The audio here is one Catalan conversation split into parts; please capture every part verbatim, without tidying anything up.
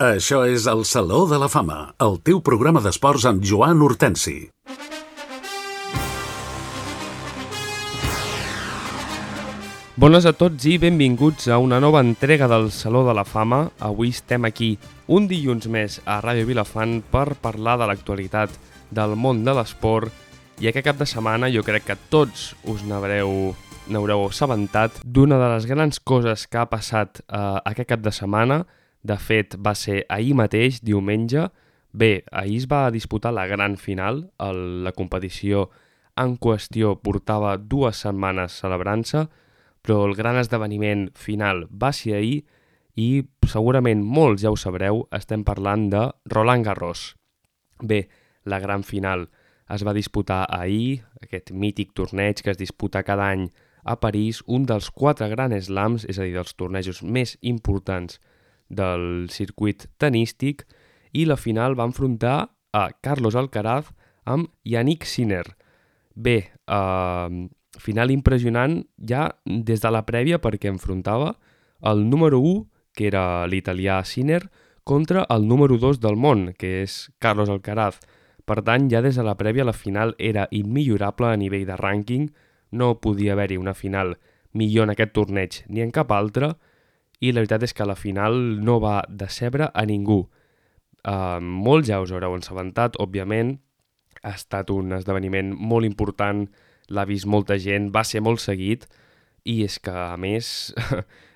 Això és el Saló de la Fama, el teu programa d'esports amb Joan Hortensi. Bones a tots i benvinguts a una nova entrega del Saló de la Fama. Avui estem aquí un dilluns més a Ràdio Vilafant per parlar de l'actualitat del món de l'esport, i aquest cap de setmana jo crec que tots us n'haureu n'haureu assabentat d'una de les grans coses que ha passat eh, aquest cap de setmana. De fet, va ser ahir mateix, diumenge. Bé, ahir es va disputar la gran final. El, la competició en qüestió portava dues setmanes celebrant-se, però el gran esdeveniment final va ser ahir i segurament molts ja ho sabreu, estem parlant de Roland Garros. Bé, la gran final es va disputar ahir, aquest mític torneig que es disputa cada any a París, un dels quatre Grand Slams, és a dir, dels tornejos més importants del circuit tenístic, i la final va enfrontar a Carlos Alcaraz amb Jannik Sinner. Bé, eh, final impressionant ja des de la prèvia, perquè enfrontava el número u, que era l'italià Sinner, contra el número dos del món, que és Carlos Alcaraz. Per tant, ja des de la prèvia la final era immillorable a nivell de rànquing, no podia haver-hi una final millor en aquest torneig ni en cap altre, i la veritat és que la final no va decebre a ningú. Uh, molts ja us haureu assabentat, òbviament, ha estat un esdeveniment molt important, l'ha vist molta gent, va ser molt seguit, i és que, a més,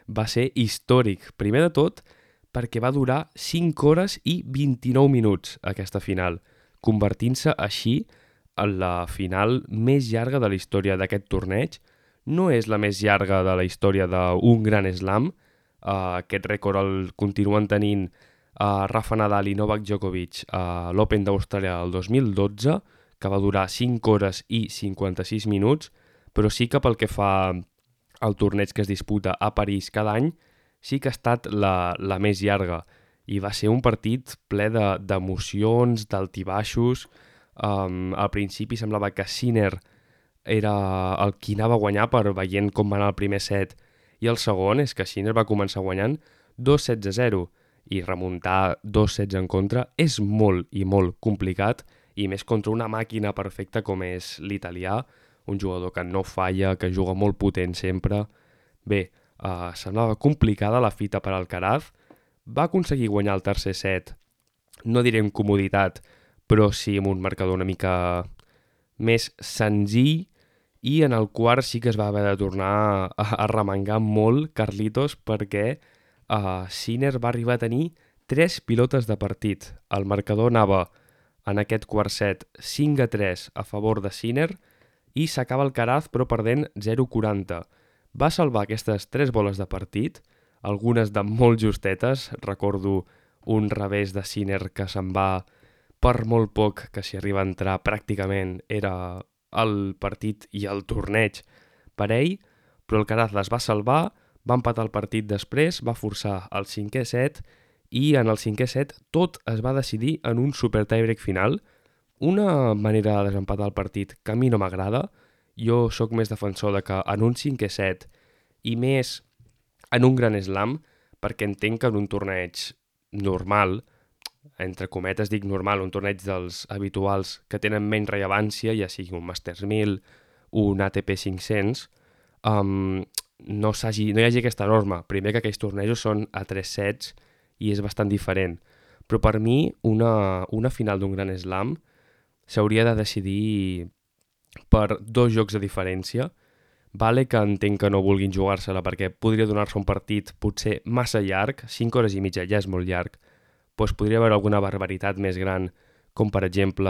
va ser històric. Primer de tot, perquè va durar cinc hores i vint-i-nou minuts aquesta final, convertint-se així en la final més llarga de la història d'aquest torneig. No és la més llarga de la història d'un Grand Slam. Uh, aquest rècord el continuen tenint uh, Rafa Nadal i Novak Djokovic a uh, l'Open d'Austràlia el dos mil dotze, que va durar cinc hores i cinquanta-sis minuts, però sí que pel que fa al torneig que es disputa a París cada any, sí que ha estat la, la més llarga, i va ser un partit ple d'emocions, de, d'altibaixos. Um, al principi semblava que Sinner era el qui anava a guanyar per veient com va anar el primer set, i el segon és que Sinner va començar guanyant dos sets a zero, i remuntar dos sets en contra és molt i molt complicat, i més contra una màquina perfecta com és l'italià, un jugador que no falla, que juga molt potent sempre. Bé, uh, semblava complicada la fita per Alcaraz, va aconseguir guanyar el tercer set, no diré amb comoditat, però sí amb un marcador una mica més senzill, i en el quart sí que es va haver de tornar a, a remengar molt Carlitos, perquè uh, Sinner va arribar a tenir tres pilotes de partit. El marcador anava en aquest quart set cinc a tres a favor de Sinner, i s'acaba Alcaraz però perdent zero quaranta. Va salvar aquestes tres boles de partit, algunes de molt justetes. Recordo un revés de Sinner que se'n va per molt poc, que si arriba a entrar pràcticament era el partit i el torneig per ell, però Alcaraz les va salvar, va empatar el partit després, va forçar el cinquè set, i en el cinquè set tot es va decidir en un super tiebreak final, una manera de desempatar el partit que a mi no m'agrada. Jo sóc més defensor de que en un cinquè set, i més en un Grand Slam, perquè entenc que en un torneig normal, entre cometes dic normal, un torneig dels habituals que tenen menys rellevància, ja sigui un Masters mil, un A T P cinc-cents, um, no, s'hagi, no hi hagi aquesta norma. Primer, que aquells tornejos són a tres sets i és bastant diferent. Però per mi, una, una final d'un Grand Slam s'hauria de decidir per dos jocs de diferència. Vale que entenc que no vulguin jugar-se-la perquè podria donar-se un partit potser massa llarg, cinc hores i mitja ja és molt llarg, doncs podria haver alguna barbaritat més gran, com per exemple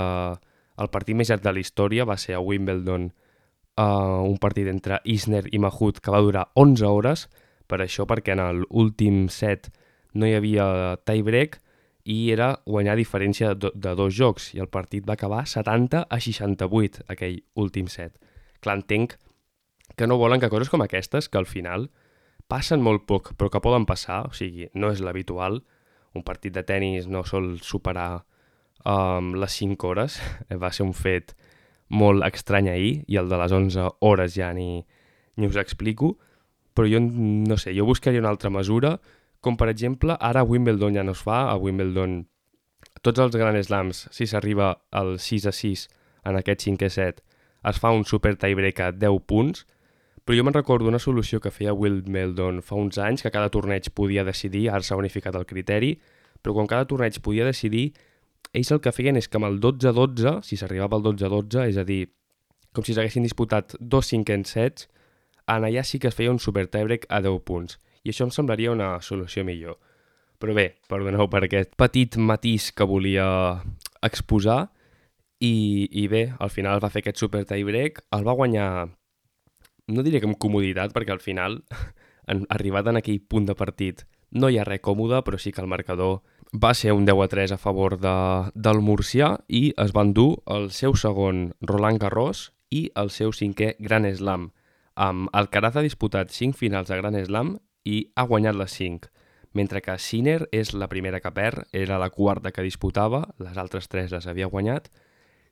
el partit més llarg de la història va ser a Wimbledon, uh, un partit entre Isner i Mahut que va durar onze hores, per això perquè en l'últim set no hi havia tiebreak i era guanyar a diferència de, de dos jocs, i el partit va acabar setanta a seixanta-vuit, aquell últim set. Clar, entenc que no volen que coses com aquestes, que al final passen molt poc però que poden passar, o sigui, no és l'habitual. Un partit de tennis no sol superar um, les cinc hores, va ser un fet molt estrany ahir, i el de les onze hores ja ni, ni us explico, però jo no sé, jo buscaria una altra mesura, Com per exemple, ara a Wimbledon ja no es fa, a Wimbledon tots els Grand Slams, si s'arriba al sis a sis en aquest cinquè set, es fa un super tiebreak a deu punts, però jo me'n recordo una solució que feia Wimbledon fa uns anys, que cada torneig podia decidir, ara s'ha unificat el criteri, però quan cada torneig podia decidir, ells el que feien és que amb el dotze a dotze, si s'arribava al dotze a dotze, és a dir, com si s'haguessin disputat dos cinquens sets, en allà sí que es feia un super tiebreak a deu punts. I això em semblaria una solució millor. Però bé, perdoneu per aquest petit matís que volia exposar i, i bé, al final va fer aquest super tiebreak, el va guanyar, no diré que amb comoditat, perquè al final, en, arribat en aquell punt de partit, no hi ha res còmode, però sí que el marcador va ser un deu a tres a favor de, del murcià i es van dur el seu segon Roland Garros i el seu cinquè Grand Slam. Um, Alcaraz ha disputat cinc finals de Grand Slam i ha guanyat les cinc, mentre que Sinner és la primera que perd, era la quarta que disputava, les altres tres les havia guanyat,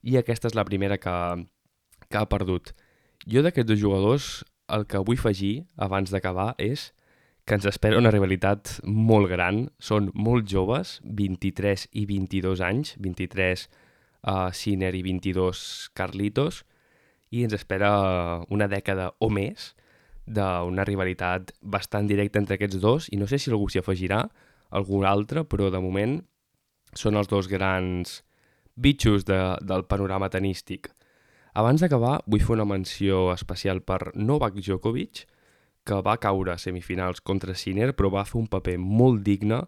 i aquesta és la primera que, que ha perdut. Jo d'aquests dos jugadors, el que vull afegir abans d'acabar és que ens espera una rivalitat molt gran, són molt joves, vint-i-tres i vint-i-dos anys, vint-i-tres uh, Sinner i vint-i-dos Carlitos, i ens espera una dècada o més d'una rivalitat bastant directa entre aquests dos, i no sé si algú s'hi afegirà, algun altre, però de moment són els dos grans bitxos de, del panorama tenístic. Abans d'acabar, vull fer una menció especial per Novak Djokovic, que va caure a semifinals contra Sinner, però va fer un paper molt digne.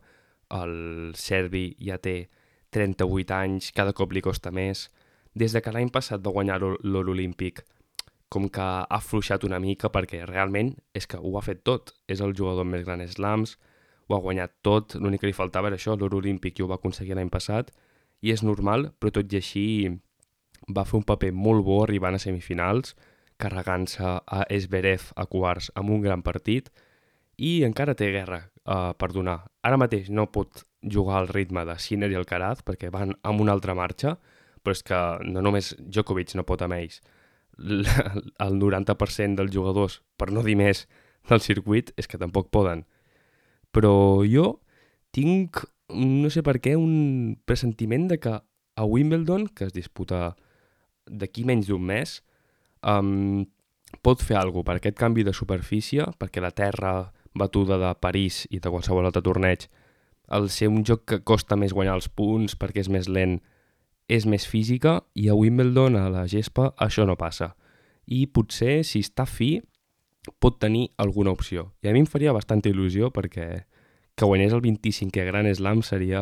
El serbi ja té trenta-vuit anys, cada cop li costa més. Des de que l'any passat va guanyar l'or olímpic, com que ha afluixat una mica, perquè realment és que ho ha fet tot. És el jugador amb més Grand Slams, ho ha guanyat tot, l'únic que li faltava era això, l'or olímpic, i ho va aconseguir l'any passat, i és normal, però tot i així va fer un paper molt bo arribant a semifinals, carregant-se a Zverev a quarts amb un gran partit, i encara té guerra uh, per donar. Ara mateix no pot jugar al ritme de Sinner i Alcaraz perquè van amb una altra marxa, però és que no només Djokovic no pot amb ells. El noranta per cent dels jugadors, per no dir més, del circuit és que tampoc poden. Però jo tinc, no sé per què, un pressentiment de que a Wimbledon, que es disputa d'aquí menys d'un mes, Um, pot fer alguna cosa per aquest canvi de superfície, perquè la terra batuda de París i de qualsevol altre torneig, al ser un joc que costa més guanyar els punts perquè és més lent, és més física, i a Wimbledon, a la gespa, això no passa. I potser, si està fi, pot tenir alguna opció. I a mi em faria bastanta il·lusió perquè que guanyés el vint-i-cinquè Grand Slam seria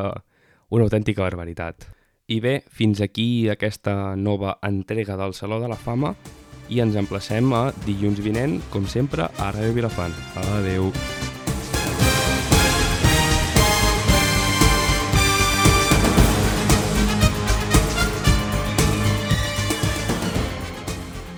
una autèntica barbaritat. I bé, fins aquí aquesta nova entrega del Saló de la Fama, i ens emplacem a dilluns vinent, com sempre, a Ràdio Vilafant. Adeu!